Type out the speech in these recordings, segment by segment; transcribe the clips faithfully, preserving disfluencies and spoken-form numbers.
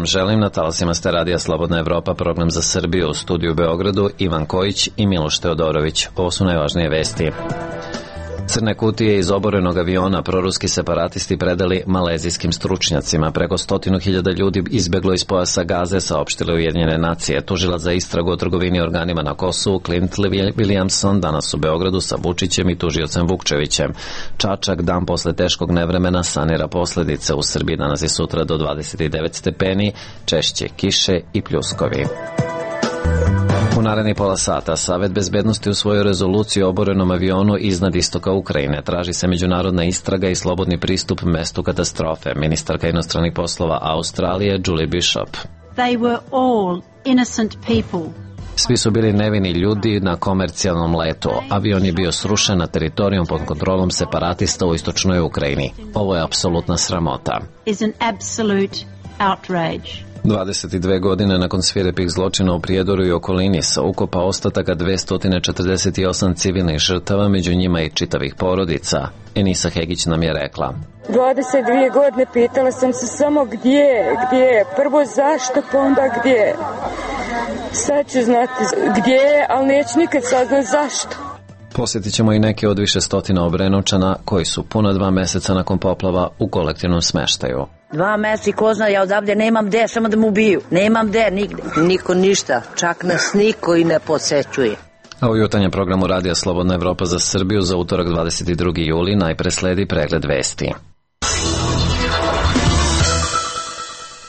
vam želim. Na talasima ste radija Slobodna Evropa, program za Srbiju, u studiju u Beogradu Ivan Kojić i Miloš Teodorović. Ovo su najvažnije vesti. Crne kutije iz oborenog aviona proruski separatisti predali malezijskim stručnjacima. Preko stotinu hiljada ljudi izbeglo iz pojasa Gaze, saopštile Ujedinjene nacije. Tužilac za istragu o trgovini organima na Kosovu, Clint Williamson, danas u Beogradu sa Vučićem i tužiocem Vukčevićem. Čačak dan posle teškog nevremena sanira posledice. U Srbiji danas i sutra do dvadeset devet stepeni, češće kiše i pljuskovi. U narednih pola sata Savet bezbednosti usvojio rezoluciju o oborenom avionu iznad istoka Ukrajine. Traži se međunarodna istraga i slobodni pristup mestu katastrofe. Ministarka inostranih poslova Australije Julie Bishop. They were all innocent people. Svi su bili nevini ljudi na komercijalnom letu. Avion je bio srušen na teritorijom pod kontrolom separatista u istočnoj Ukrajini. Ovo je apsolutna sramota. Is an absolute outrage. dvadeset dve godine nakon svirepih zločina u Prijedoru i okolini sa ukopa ostataka dvesta četrdeset osam civilnih žrtava, među njima i čitavih porodica. Enisa Hegić nam je rekla: dvadeset dve godine pitala sam se samo gdje, gdje, prvo zašto, pa onda gdje. Sad ću znati gdje, ali neću nikad saznat zašto. Posjetit ćemo i neke od više stotina Obrenovčana koji su puna dva meseca nakon poplava u kolektivnom smeštaju. Dva mjeseca i ko zna, ja odavde nemam gde, samo da mu ubiju. Nemam gde, nigde. Niko ništa, čak nas niko i ne posećuje. A u jutarnjem programu Radija Slobodna Evropa za Srbiju za utorak dvadeset drugi juli najpre sledi pregled vesti.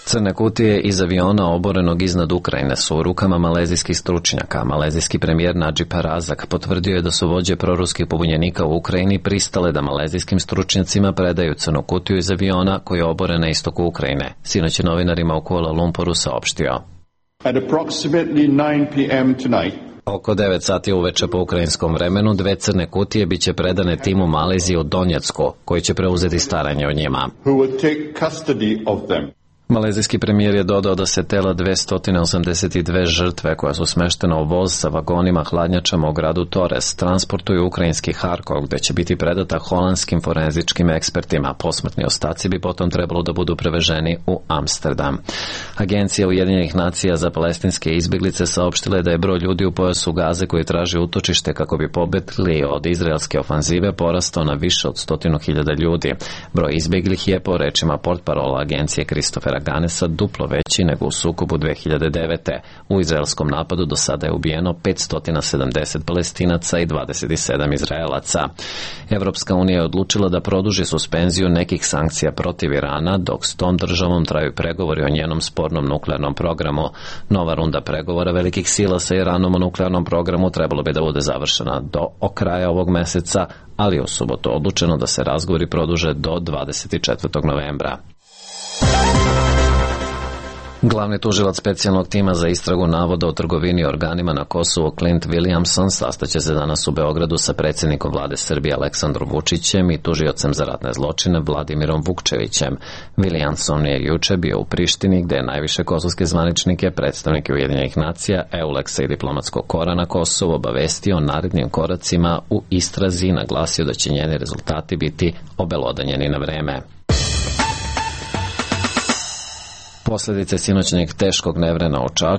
Crne kutije iz aviona oborenog iznad Ukrajine su u rukama malezijskih stručnjaka. Malezijski premijer Nadžib Razak potvrdio je da su vođe proruskih pobunjenika u Ukrajini pristale da malezijskim stručnjacima predaju crnu kutiju iz aviona koji je oboren na istoku Ukrajine. Sinoć je novinarima u Kuala Lumpuru saopštio: At approximately nine p m tonight, oko devet sati uveče po ukrajinskom vremenu, dve crne kutije biće predane timu Malezije u Donjecku, koji će preuzeti staranje o njima. Who will take custody of them. Malezijski premijer je dodao da se tela dvesta osamdeset dve žrtve koja su smeštena u voz sa vagonima hladnjačama u gradu Torres transportuju ukrajinski Harkov, gde će biti predata holandskim forenzičkim ekspertima. Posmrtni ostaci bi potom trebalo da budu preveženi u Amsterdam. Agencija Ujedinjenih nacija za palestinske izbjeglice saopštila je da je broj ljudi u pojasu Gaze koji traži utočište kako bi pobegli od izraelske ofanzive porastao na više od stotinu hiljada ljudi. Broj izbjeglih je, po rečima portparola agencije Kristofera Ganesa, duplo veći nego u sukobu dve hiljade devete. U izraelskom napadu do sada je ubijeno petsto sedamdeset Palestinaca i dvadeset sedam Izraelaca. Evropska unija je odlučila da produži suspenziju nekih sankcija protiv Irana, dok s tom državom traju pregovori o njenom spornom nuklearnom programu. Nova runda pregovora velikih sila sa Iranom o nuklearnom programu trebalo bi da bude završena do kraja ovog meseca, ali je u subotu odlučeno da se razgovori produže do dvadeset četvrtog novembra. Glavni tužilac specijalnog tima za istragu navoda o trgovini organima na Kosovu Clint Williamson sastaće se danas u Beogradu sa predsjednikom vlade Srbije Aleksandrom Vučićem i tužiocem za ratne zločine Vladimirom Vukčevićem. Williamson je juče bio u Prištini, gde je najviše kosovske zvaničnike, predstavnike Ujedinjenih nacija, Euleksa i diplomatskog kora na Kosovu obavestio o narednim koracima u istrazi i naglasio da će njeni rezultati biti obelodanjeni na vreme. Posljedice sinoćnjeg teškog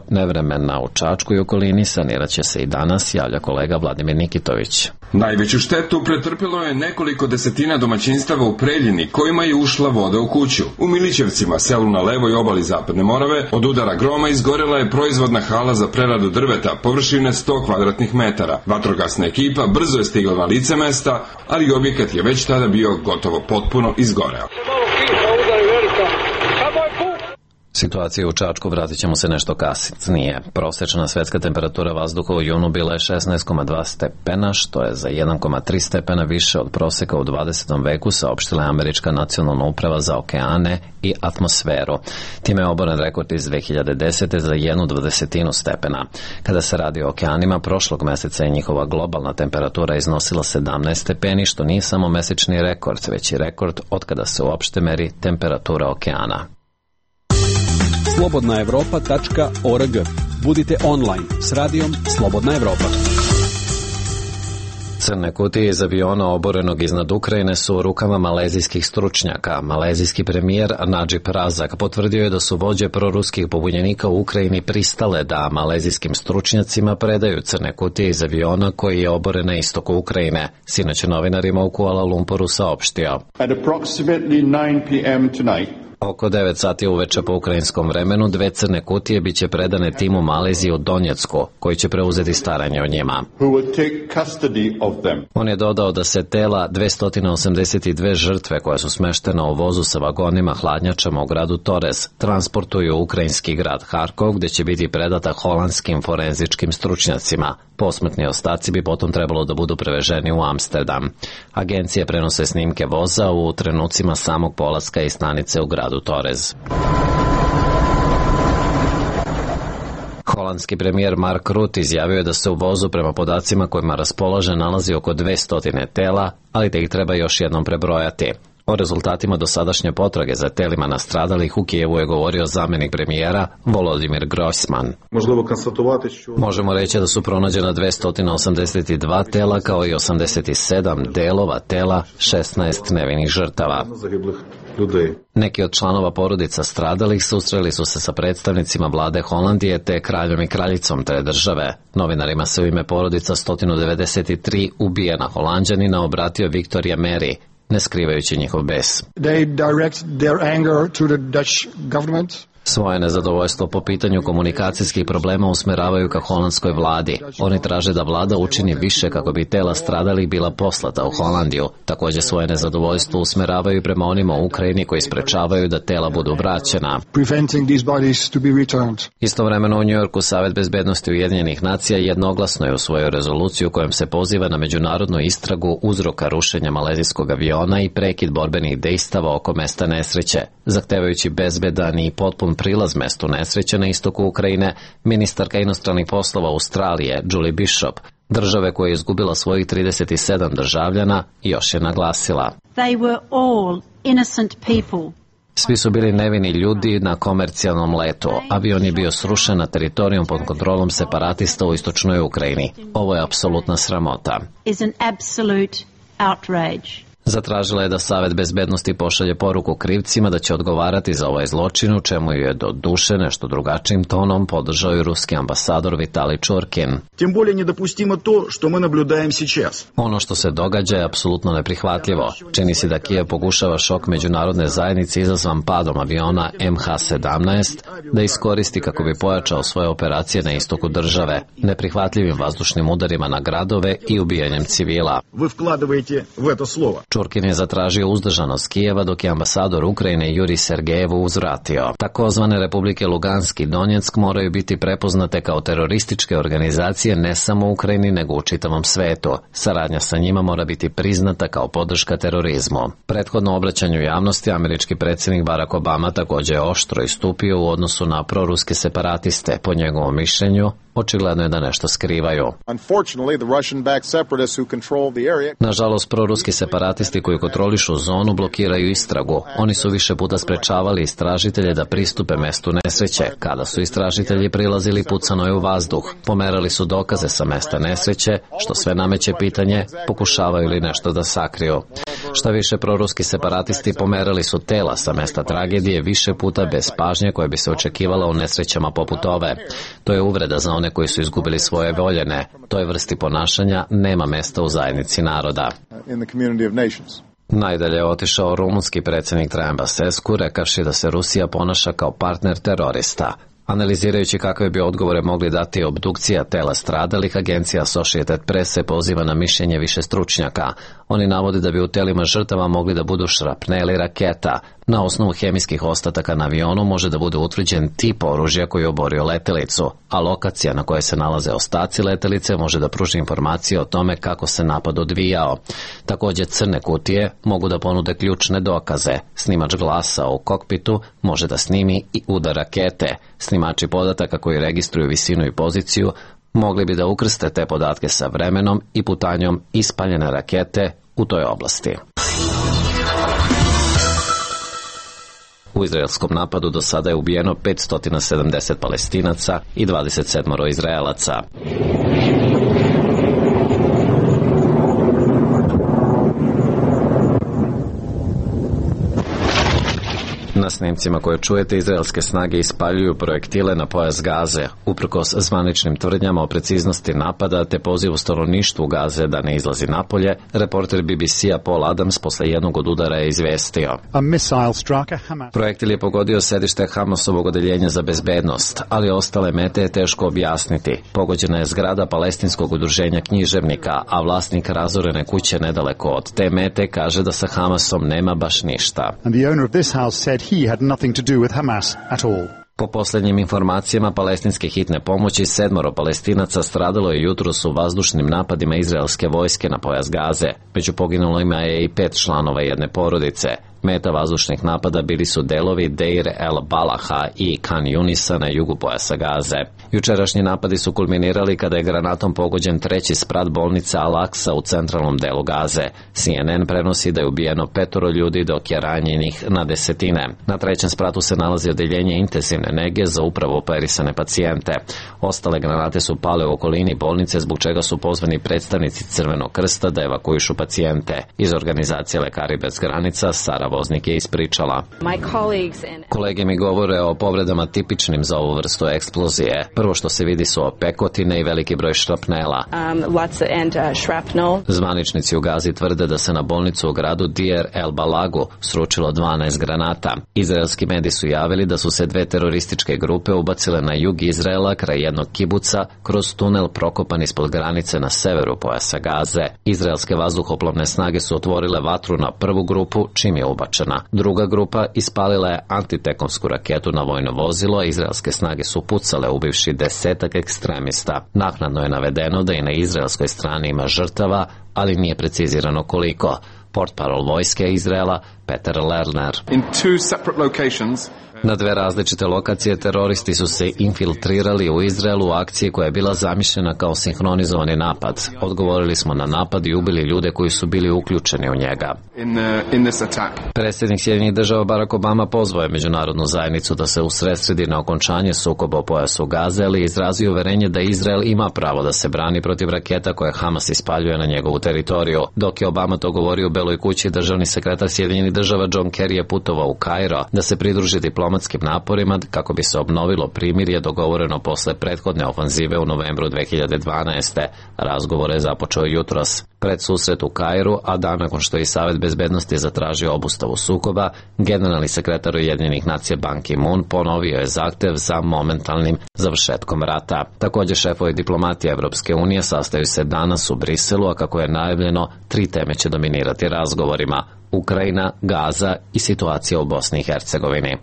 nevremena u Čačku i okolini sanirat će se i danas, javlja kolega Vladimir Nikitović. Najveću štetu pretrpilo je nekoliko desetina domaćinstava u Preljini, kojima je ušla voda u kuću. U Milićevcima, selu na levoj obali Zapadne Morave, od udara groma izgorela je proizvodna hala za preradu drveta, površine sto kvadratnih metara. Vatrogasna ekipa brzo je stigla na lice mesta, ali objekat je već tada bio gotovo potpuno izgoreo. Situacija u Čačku vratit ćemo se nešto kasnije. Prosječna svetska temperatura vazduha u junu bila je šesnaest zarez dva stepena, što je za jedan zarez tri stepena više od proseka u dvadesetom veku, saopštila je Američka nacionalna uprava za okeane i atmosferu. Time je oboren rekord iz dve hiljade desete za jednu dvadesetinu stepena. Kada se radi o okeanima, prošlog meseca je njihova globalna temperatura iznosila sedamnaest stepeni, što nije samo mesečni rekord, već i rekord od kada se uopšte meri temperatura okeana. slobodna evropa tačka org. Budite online s radijom Slobodna Evropa. Crne kutije iz aviona oborenog iznad Ukrajine su u rukama malezijskih stručnjaka. Malezijski premijer Nadžib Razak potvrdio je da su vođe proruskih pobunjenika u Ukrajini pristale da malezijskim stručnjacima predaju crne kutije iz aviona koji je oboren na istoku Ukrajine. Sinoć je novinarima u Kuala Lumpuru saopštio. At approximately nine p m tonight, oko devet sati uveče po ukrajinskom vremenu dve crne kutije biće predane timu Malezije u Donjecku, koji će preuzeti staranje o njima. who will take custody of them. On je dodao da se tela dvesta osamdeset dve žrtve koje su smeštene u vozu sa vagonima hladnjačama u gradu Torez transportuju u ukrajinski grad Harkov, gde će biti predata holandskim forenzičkim stručnjacima. Posmrtni ostaci bi potom trebalo da budu preveženi u Amsterdam. Agencije prenose snimke voza u trenucima samog polaska i stanice u gradu Torez. Holandski premijer Mark Rutte izjavio je da se u vozu prema podacima kojima raspolaže nalazi oko dvesta tela, ali da ih treba još jednom prebrojati. O rezultatima dosadašnje potrage za telima nastradalih u Kijevu je govorio zamjenik premijera Volodimir Grossman. Možemo reći da su pronađena dvesta osamdeset dva tela kao i osamdeset sedam delova tela, šesnaest nevinih žrtava. Neki od članova porodica stradalih susreli su se sa predstavnicima vlade Holandije te kraljom i kraljicom te države. Novinarima se u ime porodica sto devedeset tri ubijena Holanđanina obratio Victoria Mary, ne skrivajući njihov bes. They direct their anger to the Dutch government. Svoje nezadovoljstvo po pitanju komunikacijskih problema usmeravaju ka holandskoj vladi. Oni traže da vlada učini više kako bi tela stradalih bila poslata u Holandiju. Također svoje nezadovoljstvo usmeravaju prema onima u Ukrajini koji sprečavaju da tela budu vraćena. Preventing these bodies to be returned. Istovremeno u Njujorku Savet bezbednosti Ujedinjenih nacija jednoglasno je usvojio rezoluciju kojom se poziva na međunarodnu istragu uzroka rušenja malezijskog aviona i prekid borbenih dejstava oko mesta nesreće. Zahtevajući bezbedan i potpun prilaz mestu nesreće na istoku Ukrajine, ministarka inostranih poslova Australije Julie Bishop, države koja je izgubila svojih trideset sedam državljana, još je naglasila. They were all innocent people. Svi su bili nevini ljudi na komercijalnom letu. Avion je bio srušen na teritorijom pod kontrolom separatista u istočnoj Ukrajini. Ovo je apsolutna sramota. Is an absolute outrage. Zatražila je da Savet bezbednosti pošalje poruku krivcima da će odgovarati za ovaj zločin, u čemu je do duše nešto drugačijim tonom podržao i ruski ambasador Vitali Čurkin. Тем более недопустимо то, что мы наблюдаем сейчас. Ono što se događa je apsolutno neprihvatljivo. Čini se da Kijev pokušava šok međunarodne zajednice izazvan padom aviona M H sedamnaest da iskoristi kako bi pojačao svoje operacije na istoku države, neprihvatljivim vazdušnim udarima na gradove i ubijanjem civila. Вы вкладываете в это слово. Čurkin je zatražio uzdržanost Kijeva dok je ambasador Ukrajine Juri Sergejevu uzvratio. Takozvane republike Lugansk i Donjeck moraju biti prepoznate kao terorističke organizacije ne samo u Ukrajini nego u čitavom svetu. Saradnja sa njima mora biti priznata kao podrška terorizmu. Prethodno obraćanju javnosti američki predsjednik Barack Obama također je oštro istupio u odnosu na proruske separatiste. Po njegovom mišljenju, očigledno je da nešto skrivaju. Nažalost, proruski separatisti koji kontrolišu zonu blokiraju istragu. Oni su više puta sprečavali istražitelje da pristupe mestu nesreće. Kada su istražitelji prilazili, pucano je u vazduh. Pomerali su dokaze sa mesta nesreće, što sve nameće pitanje pokušavaju li nešto da sakriju. Šta više, proruski separatisti pomerali su tela sa mesta tragedije više puta bez pažnje koje bi se očekivala u nesrećama poput ove. To je uvreda za one koji su izgubili svoje voljene. Toj vrsti ponašanja nema mesta u zajednici naroda. Najdalje je otišao rumunski predsjednik Traian Basescu, rekavši da se Rusija ponaša kao partner terorista. Analizirajući kakve bi odgovore mogli dati obdukcija tela stradalih, agencija Associated Press se poziva na mišljenje više stručnjaka. Oni navode da bi u telima žrtava mogli da budu šrapneli raketa. Na osnovu hemijskih ostataka na avionu može da bude utvrđen tip oružja koji je oborio letelicu, a lokacija na kojoj se nalaze ostaci letelice može da pruži informacije o tome kako se napad odvijao. Također crne kutije mogu da ponude ključne dokaze. Snimač glasa u kokpitu može da snimi i udar rakete. Snimači podataka koji registruju visinu i poziciju mogli bi da ukrste te podatke sa vremenom i putanjom ispaljene rakete u toj oblasti. U izraelskom napadu do sada je ubijeno petsto sedamdeset Palestinaca i dvadeset sedam Izraelaca. Na snimcima koje čujete, izraelske snage ispaljuju projektile na pojas Gaze, uprkos zvaničnim tvrdnjama o preciznosti napada te pozivu stanovništvu Gaze da ne izlazi napolje. Reporter B B C-a Paul Adams posle jednog od udara je izvestio. Projektil je pogodio sedište Hamasovog odeljenja za bezbednost, ali ostale mete je teško objasniti. Pogođena je zgrada palestinskog udruženja književnika, a vlasnik razorene kuće nedaleko od te mete kaže da sa Hamasom nema baš ništa. He had nothing to do with Hamas at all. Po posljednjim informacijama palestinske hitne pomoći, sedmoro Palestinaca stradalo je jutros u vazdušnim napadima izraelske vojske na pojas Gaze. Među poginulima je i pet članova jedne porodice. Meta vazdušnih napada bili su delovi Deir el Balaha i Khan Yunisa na jugu pojasa Gaze. Jučerašnji napadi su kulminirali kada je granatom pogođen treći sprat bolnice Al-Aqsa u centralnom delu Gaze. C N N prenosi da je ubijeno petoro ljudi, dok je ranjenih na desetine. Na trećem spratu se nalazi odeljenje intenzivne nege za upravo operisane pacijente. Ostale granate su pale u okolini bolnice, zbog čega su pozvani predstavnici Crvenog krsta da evakuišu pacijente. Iz organizacije Lekari bez granica Sara Voznik je ispričala. Kolege mi govore o povredama tipičnim za ovu vrstu eksplozije. Prvo što se vidi su opekotine i veliki broj šrapnela. Zvaničnici u Gazi tvrde da se na bolnicu u gradu Deir el Balagu sručilo dvanaest granata. Izraelski mediji su javili da su se dve terorističke grupe ubacile na jug Izraela kraj jednog kibuca kroz tunel prokopan ispod granice na severu pojasa Gaze. Izraelske vazduhoplovne snage su otvorile vatru na prvu grupu, čim je ubačena. Druga grupa ispalila je antitekomsku raketu na vojno vozilo, a izraelske snage su pucale ubivši desetak ekstremista. Naknadno je navedeno da i na izraelskoj strani ima žrtava, ali nije precizirano koliko. Portparol vojske Izraela Peter Lerner. In two separate locations. Na dve različite lokacije teroristi su se infiltrirali u Izraelu u akciji koja je bila zamišljena kao sinhronizovani napad. Odgovorili smo na napad i ubili ljude koji su bili uključeni u njega. In, uh, in this attack. Predsjednik Sjedinjenih država Barack Obama pozvao je međunarodnu zajednicu da se usredsredi na okončanje sukoba u pojasu Gaze, ali izrazio uverenje da Izrael ima pravo da se brani protiv raketa koje Hamas ispaljuje na njegovu teritoriju. Dok je Obama to govorio u Beloj kući, državni sekretar Sjedinjenih država John Kerry je putovao u Kairo da se pridruži diplomatskim naporima kako bi se obnovilo primirje dogovoreno posle prethodne ofanzive u novembru dve hiljade dvanaeste. Razgovor je započeo jutros. Pred susret u Kairu, a dan nakon što je Savet bezbednosti zatražio obustavu sukoba, generalni sekretar Ujedinjenih nacija Ban Ki-moon ponovio je zahtev za momentalnim završetkom rata. Također šefovi diplomatije Evropske unije sastaju se danas u Briselu, a kako je najavljeno, tri teme će dominirati razgovorima: Ukrajina, Gaza i situacija u Bosni i Hercegovini.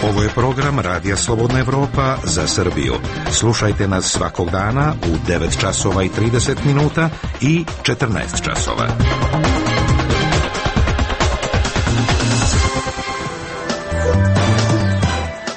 Ovo je program Radija Slobodna Evropa za Srbiju. Slušajte nas svakog dana u devet časova i trideset minuta i četrnaest časova.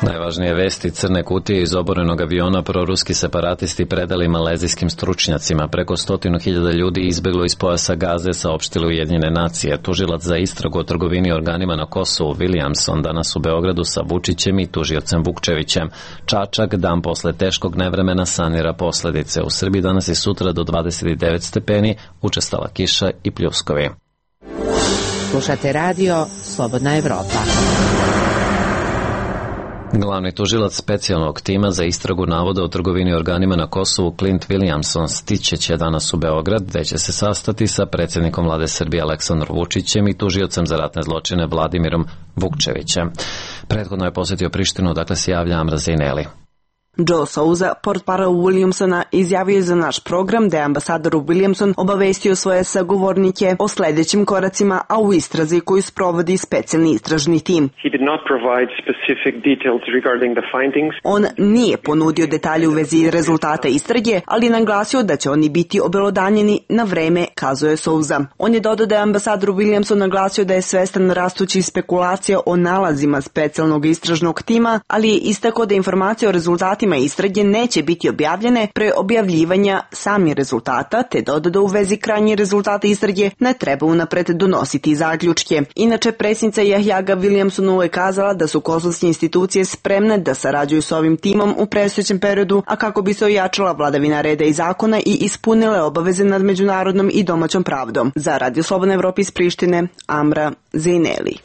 Najvažnije vesti: crne kutije iz oborenog aviona proruski separatisti predali malezijskim stručnjacima. Preko stotinu hiljada ljudi izbeglo iz pojasa Gaze, saopštile Ujedinjene nacije. Tužilac za istragu o trgovini organima na Kosovu Williamson danas u Beogradu sa Vučićem i tužiocem Vukčevićem. Čačak dan posle teškog nevremena sanira posledice. U Srbiji danas i sutra do dvadeset devet stepeni, učestala kiša i pljuskovi. Slušate radio Slobodna Evropa. Glavni tužilac specijalnog tima za istragu navoda o trgovini organima na Kosovu Clint Williamson stiće će danas u Beograd, gde će se sastati sa predsjednikom vlade Srbije Aleksandrom Vučićem i tužiocem za ratne zločine Vladimirom Vukčevićem. Prethodno je posjetio Prištinu, dakle se javlja Amra Zejneli. Joe Souza, portparol Williamsona, izjavio je za naš program da je ambasador Williamson obavestio svoje sagovornike o sljedećim koracima, a u istrazi koju sprovodi specijalni istražni tim. On nije ponudio detalje u vezi rezultata istrage, ali naglasio da će oni biti obelodanjeni na vreme, kazuje Souza. On je dodao da je ambasador Williamson naglasio da je svestan rastućih spekulacija o nalazima specijalnog istražnog tima, ali je istakao da informacije o rezultatima rezultatima istrage neće biti objavljene pre objavljivanja samih rezultata, te dodao u vezi krajnjih rezultata istrage ne treba unapred donositi zaključke. Inače, predsjednica Jahjaga Williamsonu je kazala da su kosovske institucije spremne da sarađuju s ovim timom u predstojećem periodu, a kako bi se ojačala vladavina reda i zakona i ispunile obaveze nad međunarodnom i domaćom pravdom. Za Radio Slobodna Evropa iz Prištine, Amra Zejneli.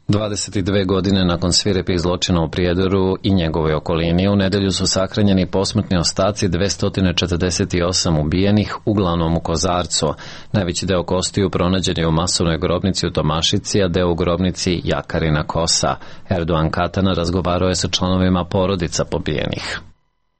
dvadeset dve godine nakon svirepih zločina u Prijedoru i njegovoj okolini, u nedelju su sahranjeni posmrtni ostaci dvesta četrdeset osam ubijenih, uglavnom u Kozarcu. Najveći deo kostiju pronađen je u masovnoj grobnici u Tomašici, a deo u grobnici Jakarina Kosa. Erdogan Katana razgovarao je sa članovima porodica pobijenih.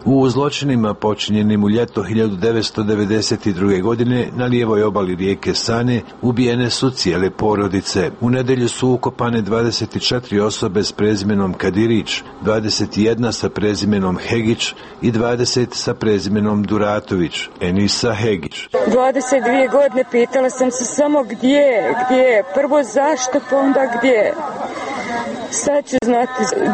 U zločinima počinjenim u ljeto hiljadu devetsto devedeset druge. godine na lijevoj obali rijeke Sane ubijene su cijele porodice. U nedelju su ukopane dvadeset četiri osobe s prezimenom Kadirić, dvadeset jedna sa prezimenom Hegić i dvadeset sa prezimenom Duratović, Enisa Hegić. dvadeset dvije godine pitala sam se samo gdje, gdje, prvo zašto, pa onda gdje. Sad ću znati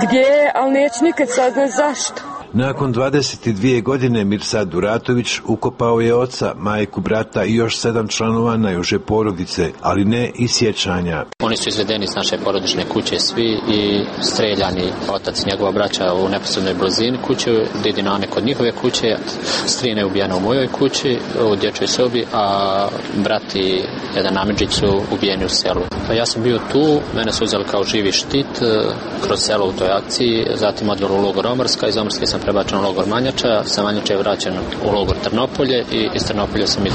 gdje, ali neću nikad saznat zašto. Nakon dvadeset dvije godine Mirsad Duratović ukopao je oca, majku, brata i još sedam članova najuže porodice, ali ne i sjećanja. Oni su izvedeni iz naše porodične kuće svi i streljani. Otac i njegova braća u neposrednoj blizini kuće, didina Ane kod njihove kuće, strina je ubijena u mojoj kući, u dječjoj sobi, a brat i jedan Amidžić su ubijeni u selu. Pa ja sam bio tu, mene su uzeli kao živi štit kroz selo u toj akciji, zatim odveli u logor Omrska, iz Omrske sam prebačen u logor Manjača, sa Manjača je vraćen u logor Trnopolje i iz Trnopolja sam id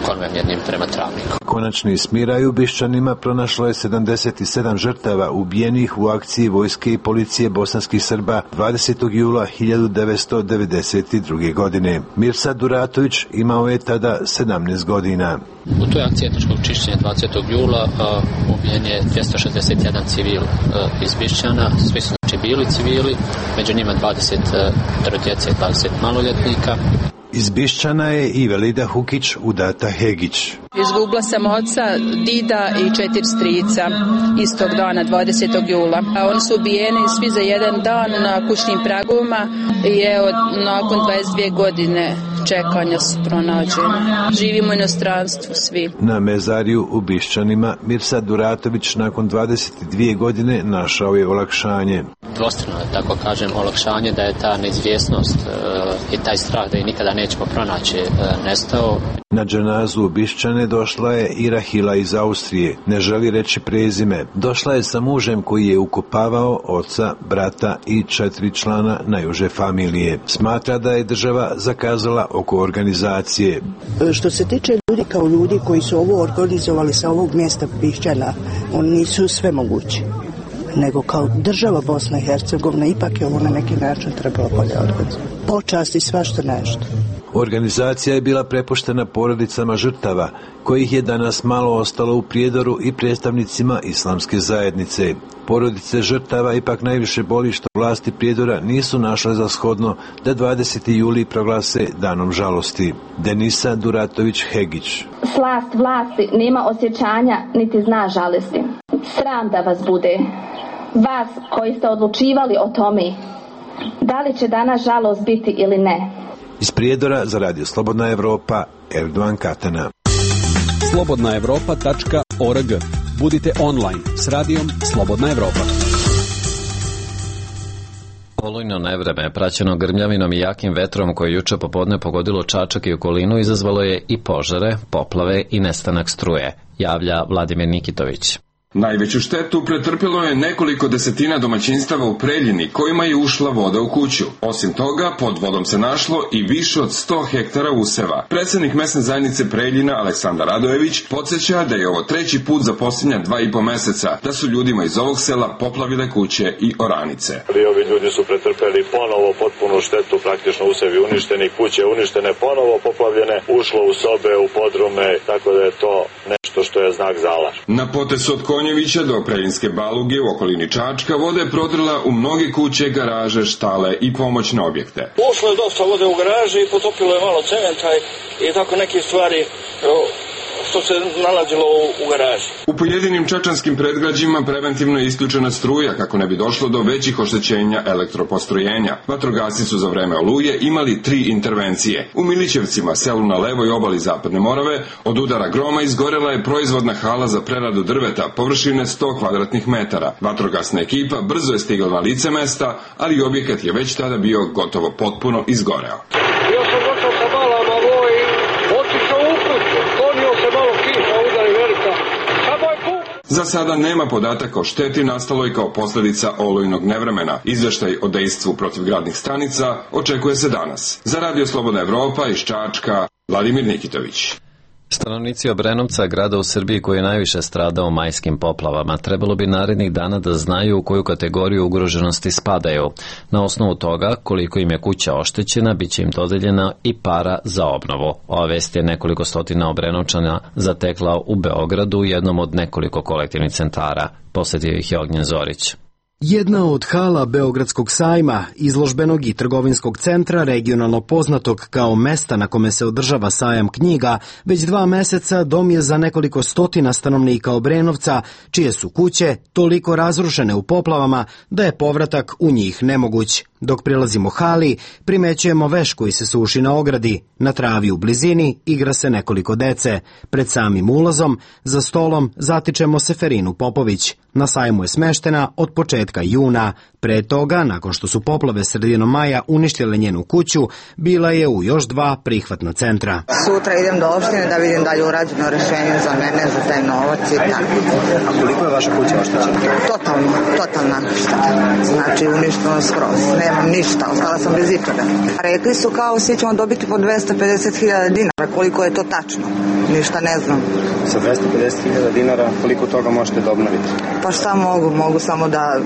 konvojem jednim prema Travniku. Konačni smiraj u Bišćanima pronašlo je sedamdeset sedam žrtava ubijenih u akciji vojske i policije bosanskih Srba dvadesetog jula hiljadu devetsto devedeset druge. godine. Mirsad Duratović imao je tada sedamnaest godina. U toj akciji etničkog čišćenja dvadesetog jula uh, ubijen je dvjesto šezdeset jedan civil uh, iz Bišćana, svi su znači bili civili, među njima dvadeset uh, djece i dvadeset maloljetnika. Iz Bišćana je i Velida Hukić udata Hegić. Izgubila sam oca, dida i četiri strica istog dana, dvadesetog jula. A oni su ubijeni svi za jedan dan na kućnim pragovima i evo, nakon dvadeset dvije godine čekanja su pronađeni. Živimo u inostranstvu svi. Na mezariju u Bišćanima Mirsad Duratović nakon dvadeset dvije godine našao je olakšanje. Dvostrano, tako kažem, olakšanje da je ta neizvjesnost e, i taj strah da je nikada nećemo pronaći e, nestao. Na dženazu u Bišćane došla je i Rahila iz Austrije, ne želi reći prezime. Došla je sa mužem koji je ukopavao oca, brata i četiri člana najuže familije. Smatra da je država zakazala oko organizacije. Što se tiče ljudi kao ljudi koji su ovo organizovali sa ovog mjesta Bišćana, oni nisu sve mogući. Nego kao država Bosna i Hercegovina ipak je ovo na neki način trebalo bolje organizovati. Počasti svašta nešto. Organizacija je bila prepuštena porodicama žrtava, kojih je danas malo ostalo u Prijedoru i predstavnicima islamske zajednice. Porodice žrtava ipak najviše boli što vlasti Prijedora nisu našle za shodno da dvadeseti juli proglase danom žalosti. Denisa Duratović Hegić. Slast vlasti nema osjećanja niti zna žalosti. Sram da vas bude. Vas koji ste odlučivali o tome, da li će danas žalost biti ili ne. Iz Prijedora za Radio Slobodna Evropa, Erdogan Katana. slobodna evropa tačka org. Budite online s radijom Slobodna Evropa. Olujno nevreme, praćeno grmljavinom i jakim vetrom koje juče popodne pogodilo Čačak i okolinu, izazvalo je i požare, poplave i nestanak struje, javlja Vladimir Nikitović. Najveću štetu pretrpjelo je nekoliko desetina domaćinstava u Preljini kojima je ušla voda u kuću. Osim toga, pod vodom se našlo i više od sto hektara useva. Predsjednik mesne zajednice Preljina Aleksandar Radojević podsjeća da je ovo treći put za posljednja dva i po meseca da su ljudima iz ovog sela poplavile kuće i oranice. I ovi ljudi su pretrpjeli ponovo potpunu štetu, praktično usevi uništeni, kuće uništene, ponovo poplavljene, ušlo u sobe, u podrume, tako da je to nešto što je znak za alarm. Na potesu od Konjevića do Preljinske Baluge u okolini Čačka voda je prodrla u mnoge kuće, garaže, štale i pomoćne objekte. Ušlo je dosta vode u garaži i potopilo je malo cementa i tako neke stvari što se nalazilo u, u garaži. U pojedinim čačanskim predgrađima preventivno je isključena struja kako ne bi došlo do većih oštećenja elektropostrojenja. Vatrogasci su za vreme oluje imali tri intervencije. U Milićevcima, selu na levoj obali Zapadne Morave, od udara groma izgorela je proizvodna hala za preradu drveta površine sto kvadratnih metara. Vatrogasna ekipa brzo je stigla na lice mesta, ali objekat je već tada bio gotovo potpuno izgoreo. Ja sam došao sa balama voj, otišao u kuću, sklonio se malo kiša, udari velika. Samo je puk. Za sada nema podataka o šteti nastaloj kao posljedica olujnog nevremena. Izveštaj o dejstvu protivgradnih stanica očekuje se danas. Za Radio Slobodna Evropa iz Čačka, Vladimir Nikitović. Stanovnici Obrenovca, grada u Srbiji koji je najviše stradao majskim poplavama, trebalo bi narednih dana da znaju u koju kategoriju ugroženosti spadaju. Na osnovu toga, koliko im je kuća oštećena, bit će im dodeljena i para za obnovu. Ova vest je nekoliko stotina Obrenovčana zatekla u Beogradu u jednom od nekoliko kolektivnih centara. Posjetio ih je Ognjen Zorić. Jedna od hala Beogradskog sajma, izložbenog i trgovinskog centra, regionalno poznatog kao mesta na kome se održava sajam knjiga, već dva meseca dom je za nekoliko stotina stanovnika Obrenovca, čije su kuće toliko razrušene u poplavama da je povratak u njih nemoguć. Dok prilazimo hali, primećujemo veš koji se suši na ogradi. Na travi u blizini igra se nekoliko dece. Pred samim ulazom, za stolom, zatičemo Seferinu Popović. Na sajmu je smeštena od početka juna. Pre toga, nakon što su poplave sredinom maja uništile njenu kuću, bila je u još dva prihvatna centra. Sutra idem do opštine da vidim da li je urađeno rešenje za mene, za taj novac i tako. A koliko je vaša kuća oštećena? Totalno, totalna šteta. Znači uništeno skroz. Nemam ništa, ostala sam bez ičega. Rekli su kao svi ćemo dobiti po dvesta pedeset hiljada dinara. Koliko je to tačno? Ništa ne znam. Sa dvesta pedeset hiljada dinara koliko toga možete da obnoviti? Pa šta mogu? Mogu samo da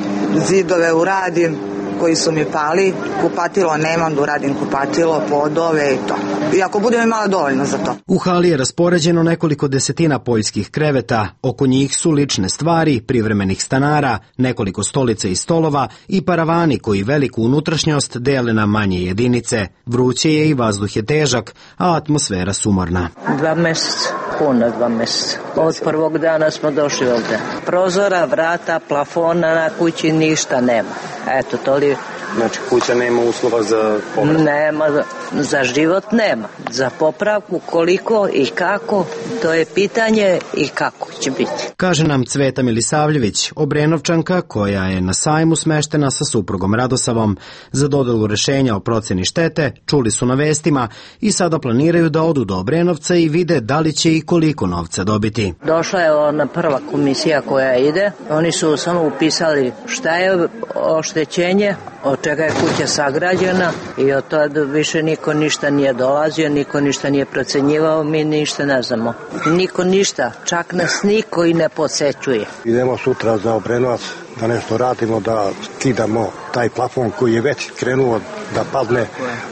zidove uradim koji su mi pali, kupatilo nemam da uradim kupatilo, podove i to. I ako budem imala dovoljno za to. U hali je raspoređeno nekoliko desetina poljskih kreveta, oko njih su lične stvari, privremenih stanara, nekoliko stolica i stolova i paravani koji veliku unutrašnjost dele na manje jedinice. Vruće je i vazduh je težak, a atmosfera sumorna. Dva meseca, puno dva meseca. Od prvog dana smo došli ovde. Prozora, vrata, plafona na kući ništa nema. Eto, to li... Znači, kuća nema uslova za povratak? Nema, za život nema. Za popravku koliko i kako, to je pitanje i kako će biti. Kaže nam Cveta Milisavljević, Obrenovčanka koja je na sajmu smeštena sa suprugom Radosavom. Za dodelu rešenja o proceni štete čuli su na vestima i sada planiraju da odu do Obrenovca i vide da li će i koliko novca dobiti. Došla je ona prva komisija koja ide. Oni su samo upisali šta je oštećenje, od čega je kuća sagrađena i od toga više niko ništa nije dolazio, niko ništa nije procenjivao, mi ništa ne znamo. Niko ništa, čak nas niko i ne posećuje. Idemo sutra za Obrenovac da nešto radimo, da skidamo taj plafon koji je već krenuo da padne.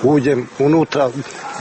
Uđem unutra,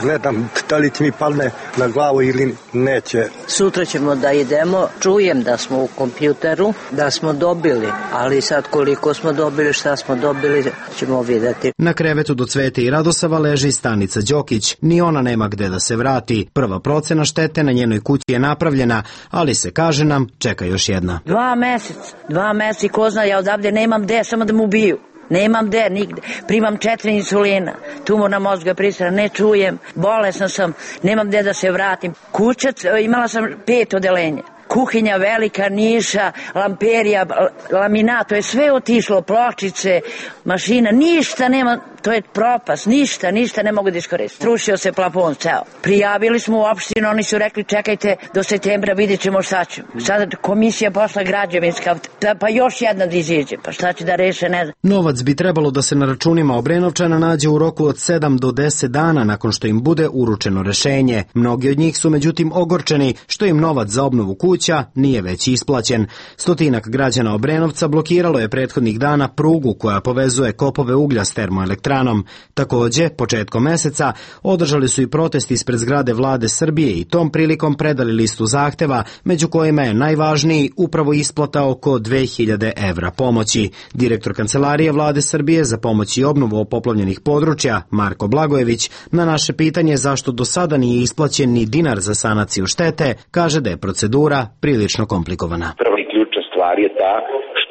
gledam da li će mi padne na glavu ili neće. Sutra ćemo da idemo, čujem da smo u kompjuteru, da smo dobili, ali sad koliko smo dobili, šta smo dobili, ćemo vidjeti. Na krevetu do Cvete i Radosava leži Stanica Đokić. Ni ona nema gde da se vrati. Prva procena štete na njenoj kući je napravljena, ali se, kaže nam, čeka još jedna. Dva meseca, dva meseca i ko zna, ja odavde nemam gde, samo da mu ubiju. Nemam gde, nigde. Primam četiri insulina, tumor na mozga pristra, ne čujem, bolesna sam, nemam gde da se vratim. Kuća, imala sam pet odelenja. Kuhinja velika, niša, lamperija, laminat, to je sve otišlo, pločice, mašina, ništa nema, to je propast, ništa, ništa ne mogu da iskoristiti. Strušio se plafon ceo. Prijavili smo u opštinu, oni su rekli čekajte do septembra, vidjet ćemo šta ćemo. Sada komisija posla građevinska, pa još jedna da iziđe, pa šta će da reše, ne znam. Novac bi trebalo da se na računima Obrenovčana nađe u roku od sedam do deset dana nakon što im bude uručeno rešenje. Mnogi od njih su međutim ogorčeni što im novac za obnovu kuća kuća nije već isplaćen. Stotinak građana Obrenovca blokiralo je prethodnih dana prugu koja povezuje kopove uglja s termoelektranom. Takođe, početkom meseca održali su i protest ispred zgrade vlade Srbije i tom prilikom predali listu zahteva, među kojima je najvažniji upravo isplata oko dve hiljade evra pomoći. Direktor Kancelarije vlade Srbije za pomoć i obnovu poplavljenih područja, Marko Blagojević, na naše pitanje zašto do sada nije isplaćen ni dinar za sanaciju štete, kaže da je procedura prilično komplikovana. Prva i ključna stvar je ta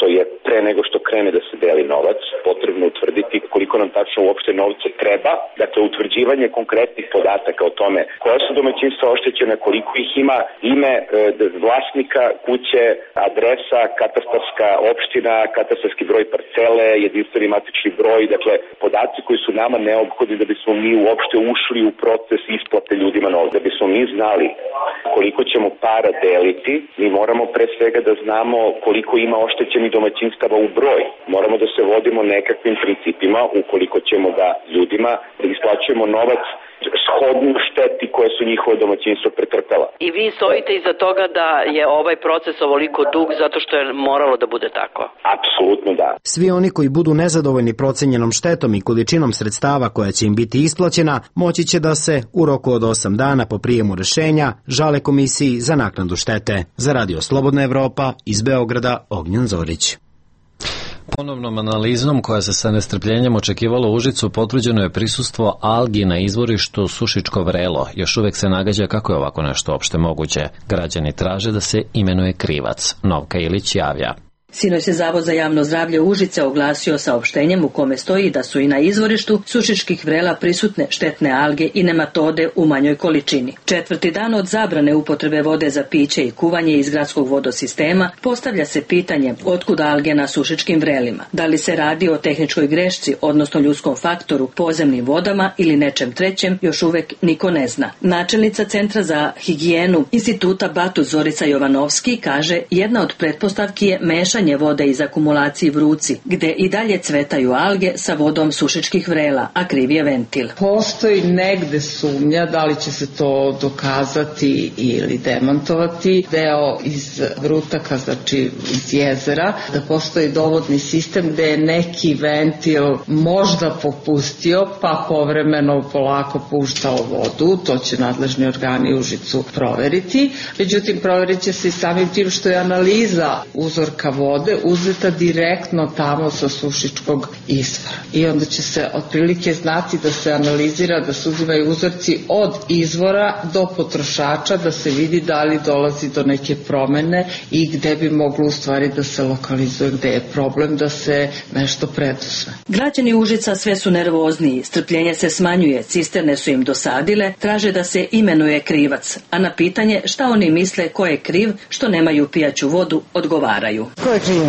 što je pre nego što krene da se deli novac, potrebno utvrditi koliko nam tačno uopšte novca treba, dakle utvrđivanje konkretnih podataka o tome koja su domaćinstva oštećena, koliko ih ima, ime e, vlasnika kuće, adresa, katastarska opština, katastarski broj parcele, jedinstveni matični broj, dakle podaci koji su nama neophodni da bismo mi uopšte ušli u proces isplate ljudima novca. Da bismo mi znali koliko ćemo para deliti, mi moramo pre svega da znamo koliko ima oštećenih domaćinstava u broj. Moramo da se vodimo nekakvim principima ukoliko ćemo da ljudima da isplaćujemo novac shodnu šteti koje su njihove domaćinstva pretrpela. I vi stojite iza toga da je ovaj proces ovoliko dug zato što je moralo da bude tako? Apsolutno da. Svi oni koji budu nezadovoljni procenjenom štetom i količinom sredstava koja će im biti isplaćena, moći će da se u roku od osam dana po prijemu rešenja žale Komisiji za naknadu štete. Za Radio Slobodna Evropa iz Beograda, Ognjen Zorić. Ponovnom analizom koja se sa nestrpljenjem očekivalo u Užicu potvrđeno je prisustvo algi na izvorištu Sušičko vrelo. Još uvek se nagađa kako je ovako nešto opšte moguće. Građani traže da se imenuje krivac. Novka Ilić javlja. Sinoć se Zavod za javno zdravlje Užice oglasio saopštenjem u kome stoji da su i na izvorištu Sušičkih vrela prisutne štetne alge i nematode u manjoj količini. Četvrti dan od zabrane upotrebe vode za piće i kuvanje iz gradskog vodosistema postavlja se pitanje otkud alge na Sušičkim vrelima. Da li se radi o tehničkoj grešci, odnosno ljudskom faktoru, podzemnim vodama ili nečem trećem, još uvek niko ne zna. Načelnica Centra za higijenu Instituta Batut Zorica Jovanovski kaže jedna od pretpostavki je mešanje vode iz akumulacije Vruci, gde i dalje cvetaju alge sa vodom Sušičkih vrela, a kriv je ventil. Postoji negde sumnja da li će se to dokazati ili demantovati. Deo iz Vrutaka, znači iz jezera, da postoji dovodni sistem gde je neki ventil možda popustio, pa povremeno polako puštao vodu. To će nadležni organi Užicu proveriti. Međutim, proverit će se i samim tim što je analiza uzorka vode uzeta direktno tamo sa Sušičkog izvora. I onda će se otprilike znati da se analizira, da se uzimaju uzorci od izvora do potrošača, da se vidi da li dolazi do neke promene i gde bi moglo u stvari da se lokalizuje, gde je problem da se nešto preduzme. Građani Užica sve su nervozniji, strpljenje se smanjuje, cisterne su im dosadile, traže da se imenuje krivac, a na pitanje šta oni misle ko je kriv što nemaju pijaću vodu, odgovaraju. Ko je kriv?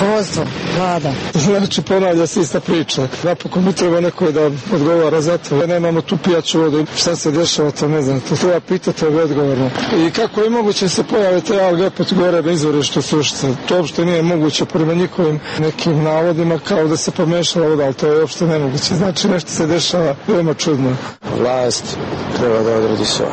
Rukovodstvo, vlada. Znači, ponavlja se ista priča. Napokon mi treba neko da odgovara za to. Nemamo tu pijaću vodu. Šta se dešava, to ne znam. To treba pitati, to je odgovorno. I kako je moguće se pojave te alge opet gore na izvorištu Sušice? To uopšte nije moguće prema njihovim nekim navodima kao da se pomešala voda, ali to je uopšte nemoguće. Znači, nešto se dešava veoma čudno. Vlast treba da odradi sve.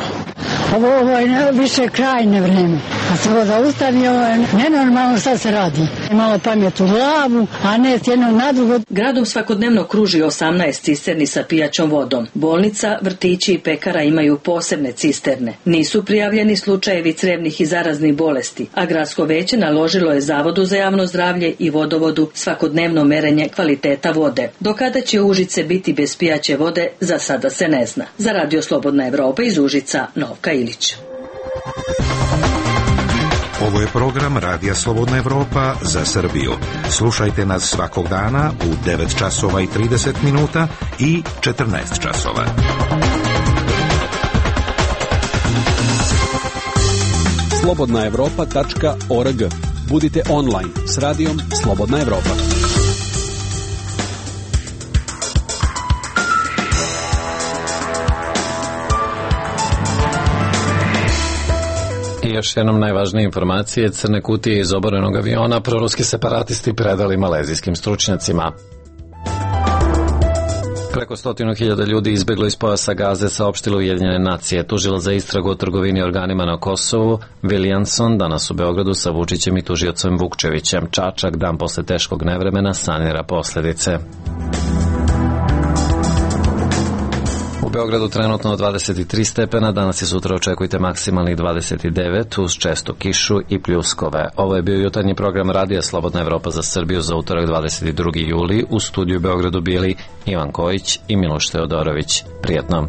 Ovo, ovo je više krajne vreme. A se voda ustavi, ovo je nenormalno šta se radi. Malo pamet u glavu, a ne s jednog na drugo. Gradom svakodnevno kruži osamnaest cisterni sa pijaćom vodom. Bolnica, vrtići i pekara imaju posebne cisterne. Nisu prijavljeni slučajevi crevnih i zaraznih bolesti, a gradsko veće naložilo je Zavodu za javno zdravlje i vodovodu svakodnevno merenje kvaliteta vode. Do kada će Užice biti bez pijaće vode, za sada se ne zna. Za Radio Slobodna Evropa iz Užica, Novka Ilić. Ovo je program Radija Slobodna Evropa za Srbiju. Slušajte nas svakog dana u devet časova i trideset minuta i četrnaest časova. slobodna evropa tačka org. Budite online s radijom Slobodna Evropa. I još jednom najvažnije informacije, crne kutije iz oborenog aviona proruski separatisti predali malezijskim stručnjacima. Preko stotinu hiljada ljudi izbjeglo iz pojasa Gaze, saopštilo Ujedinjene nacije. Tužila za istragu o trgovini organima na Kosovu Williamson danas u Beogradu sa Vučićem i tužiocem Vukčevićem. Čačak dan posle teškog nevremena sanira posljedice. U Beogradu trenutno dvadeset tri stepena, danas i sutra očekujte maksimalnih dvadeset devet uz čestu kišu i pljuskove. Ovo je bio jutarnji program Radija Slobodna Evropa za Srbiju za utorak dvadeset drugi juli. U studiju u Beogradu bili Ivan Kojić i Miloš Teodorović. Prijetno.